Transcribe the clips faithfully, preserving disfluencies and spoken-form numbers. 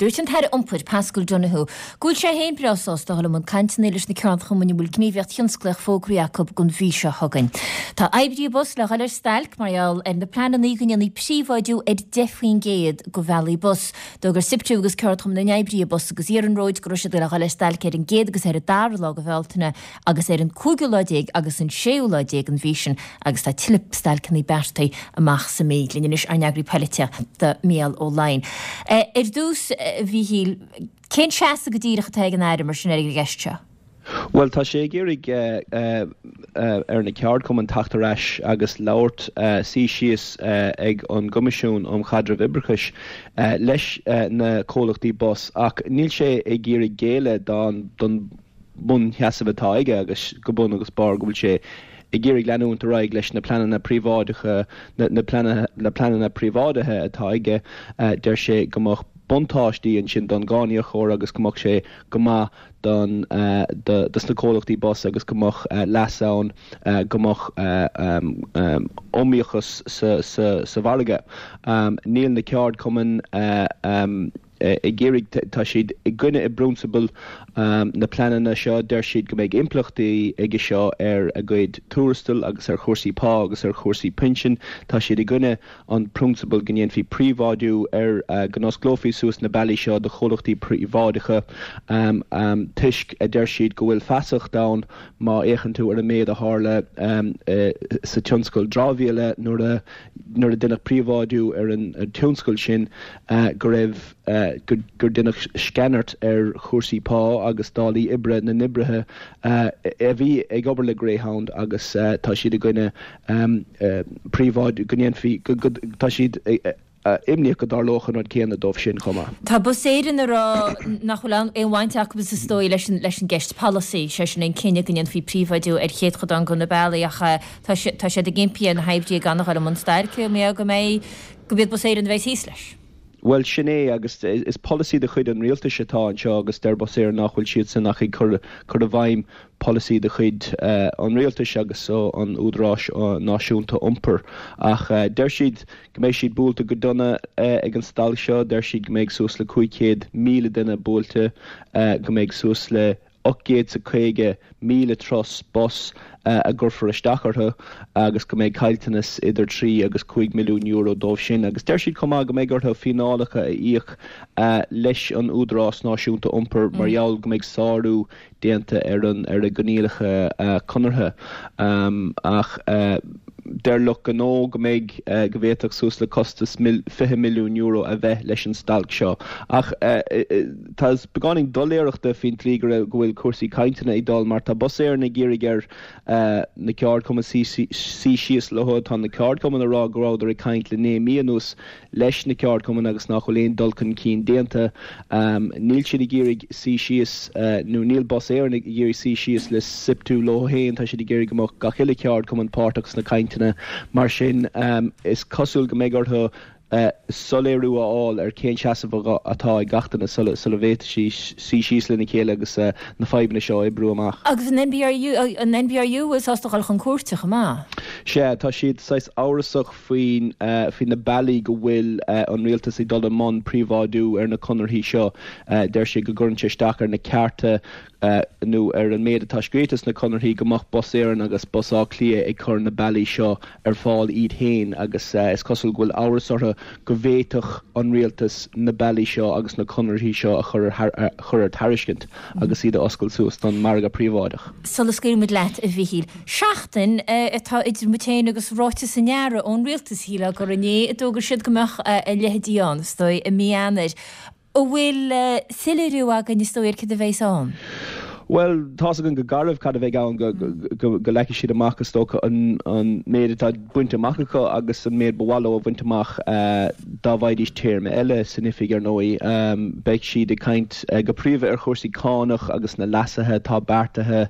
Dúirt an tAire Iompair, Paschal Donohoe, go bhfuil sé féin breá sásta dul i mbun cainteanna leis na ceardchumainn a bhfuil gníomhaíocht thionsclaíoch fógraithe acu don mhí seo chugainn. Tá oibrithe bus le dhul ar stailc mar gheall ar na pleananna go ndéanfaí príobháidiú ar deich faoin gcéad de bhealaí bus. D'fhógair SIPTU agus Ceardchumann na nOibrithe Bus agus Iarnróid go raibh siad le dhul ar stailc ar an gcéad agus ar an dara lá de Bhealtaine agus ar an cúigiú lá déag agus an séú lá déag den mhí sin agus tá tuilleadh stailceanna beartaithe amach sa mhí. Linn anois ár n-eagraí polaitíochta Mícheál Ó Laighin. Ar dtús, a Mhíchíl, cén seasamh go díreach atá ag an Aire mar sin ar an gceist seo? Bhuel, tá sé ag iarraidh ar na ceardchumainn teacht ar ais agus labhairt, suí síos ag an gCoimisiún um Chaidreamh Oibreachais leis na comhlachtaí bus ach níl sé ag iarraidh géilleadh don bhunsheasamh atá aige agus go bun agus barr go bhfuil sé ag iarraidh leanúint ar aghaidh leis na pleananna príobháideacha, na pleananna príobháidithe atá aige. Deir sé go mbeadh buntáistí ansin don gcáiníocóir agus go mbeadh sé go maith don dos na comhlachtaí bus agus go mbeadh leas ann go mbeadh iomaíochas sa mhargadh. Níl na ceardchumainn ag iarraidh, tá siad i gcoinne i bprionsabal na pleananna seo. Deir siad go mbeidh impleachtaí aige seo ar a gcuid tuarastail agus ar chúrsaí pá agus ar chúrsaí pinsin. Tá siad i gcoinne an prionsabal go ndéanfaí príobháidiú ar, go n-osclófaí suas na bealaí seo do chomhlachtaí príobháideacha toisc, a deir siad, go bhfuil feasacht ann má fhéachann tú ar an méid a tharla sa tionscal dramhaíola nuair a nuair a deineadh príobháidiú ar an tionscal sin go raibh gur deineadh sceanairt ar chúrsaí pá agus dálaí oibre na n-oibrithe a bhí ag obair le Greyhound agus tá siad i gcoinne príobháidiú go ndéanfaí go tá siad imníoch go dtarlódh an rud céanna dóibh sin chomh maith. Tá Bus Éireann ag rá nach bhfuil aon bhaint acu is dóigh leis an leis an gceist polasaí, sé sin an cinneadh go ndéanfaí príobháidiú ar chéatadán de na bealaí ach tá tá siad ag impí ar na hoibrithe gan a dhul i mbun stailce mar go mbeidh go mbeidh Bus Éireann a bheidh thíos leis. Bhuel, sin é, agus is polasaí de chuid an rialtais atá anseo agus deir Bus Éireann nach bhfuil siadsan ach ag cur cur i bhfeidhm polasaí de chuid an rialtais agus an Údaráis Náisiúnta Iompair. Ach deir siad go mbeidh siad buailte go dona ag an stailc seo, deir siad go mbeidh suas le cúig chéad míle duine buailte, go mbeidh suas le ocht gcéad is caoga míle turas bus a gcuirfear isteach orthu agus go mbeidh caillteanas idir trí agus cúig milliún euro dóibh sin. Agus deir siad chomh maith go mbeidh orthu fíneálacha a íoc leis an Údarás Náisiúnta Iompair mar gheall go mbeidh sárú déanta ar an ar a gcoinníollacha conartha. Ach deir lucht gnó go mbeidh, go bhféadfadh suas le costas fiche milliún euro a bheith leis an stailc seo. Ach tá beagáinín doiléireachta faoin tslí go raibh, go bhfuil cúrsaí cainteanna ag dul mar tá Bus Éireann ag iarraidh ar na ceardchumainn suí síos leo. Tá na ceardchumainn ag rá go rabhadar ag caint le naoi mí anuas leis na ceardchumainn agus nach bhfuil aon dul chun cinn déanta. Níl siad ag iarraidh suí síos, nó níl Bus Éireann ag iarraidh suí síos le SIPTU leo féin, tá siad ag iarraidh go mbeadh gach uile cheardchumann páirteach sna cainteanna. Mar sin, is cosúil go mbeidh orthu soiléiriú a fháil ar cén seasamh atá ag gach duine sula bhféadfaidh siad suí síos lena chéile agus na fadhbanna seo a oibriú amach. Agus an N B R U, an N B R U bhfuil sásta dul chun cúirte chomh maith? Sea, tá siad saghas amhrasach faoin faoi na bealaí go bhfuil an rialtas ag dul i mbun príobháidiú ar na conarthaí seo. Deir siad go gcuireann sé isteach ar na cearta nó ar an méid atá scríte sna conarthaí go mbeadh Bus Éireann agus Bus Átha Cliath ag cur na bealaí seo ar fáil iad féin agus is cosúil go bhfuil amhras orthu go bhféadfadh an rialtas na bealaí seo agus na conarthaí seo a chur ar tairiscint agus iad a oscailt suas don mhargadh príobháideach. Sula scaoilfimid leat, a Mhichíl, seachtain atá idir muid féin agus ráiteas an Aire ón rialtas, shílfeá gur inné a d'fhógair siad go mbeadh a leithéidí ann, is dóigh, i mí Eanáir. An bhfuil soiléiriú againn, is dóigh, ar cad a bheas ann? Bhuel, tá's againn go garbh cad a bheidh ann, go leagfaidh siad amach, is dócha, an méid atá bainte amach acu agus an méid ba mhaith leo a bhaint amach dá bhfaighidís téarma eile san oifig, ar ndóigh. Beidh siad ag caint go príomha ar chúrsaí cánach agus na leasuithe atá beartaithe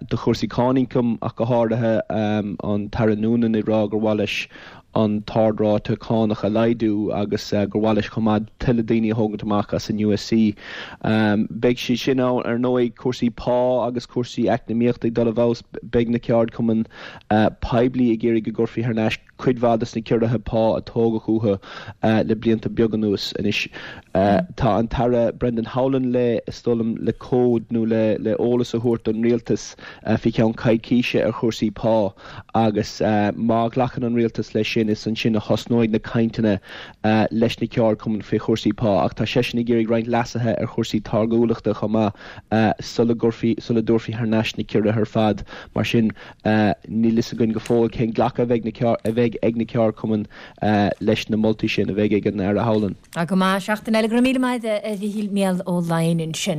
do chúrsaí cáin ioncaim ach go háirithe, an tAire Noonan ag rá gur mhaith leis an t-ardráta cánach a laghdú agus gur mhaith leis chomh maith tuilleadh daoine a thógaint amach as an U S C. Beidh sé sin ann, ar ndóigh, cúrsaí pá agus cúrsaí eacnamaíochta ag dul i bhfeabhas. Beidh na ceardchumainn poiblí ag iarraidh go gcuirfí thar n-ais cuid mhaith de na ciorruithe pá a tógadh uathu le blianta beaga anuas. Anois tá an tAire Brendan Howlin le is dóigh liom le cód nó le le eolas a thabhairt don rialtas faoi cheann coicíse ar chúrsaí pá agus má ghlacann an rialtas leis sin is ansin a thosnóidh na cainteanna leis na ceardchumainn faoi chúrsaí pá ach tá seisean ag iarraidh roinnt leasuithe ar chúrsaí táirgiúlachta chomh maith sula gcuirfí sula dtabharfaí thar n-ais na ciorruithe ar fad. Mar sin níl fhios againn go fóill cén glacadh a bheidh na a bheidh ag na ceardchumainn leis na moltaí sin a bheidh ag an Aire Howlin. Go maith seachtain eile go raibh míle maith a Mhichíl Mícheál Ó Laighin ansin.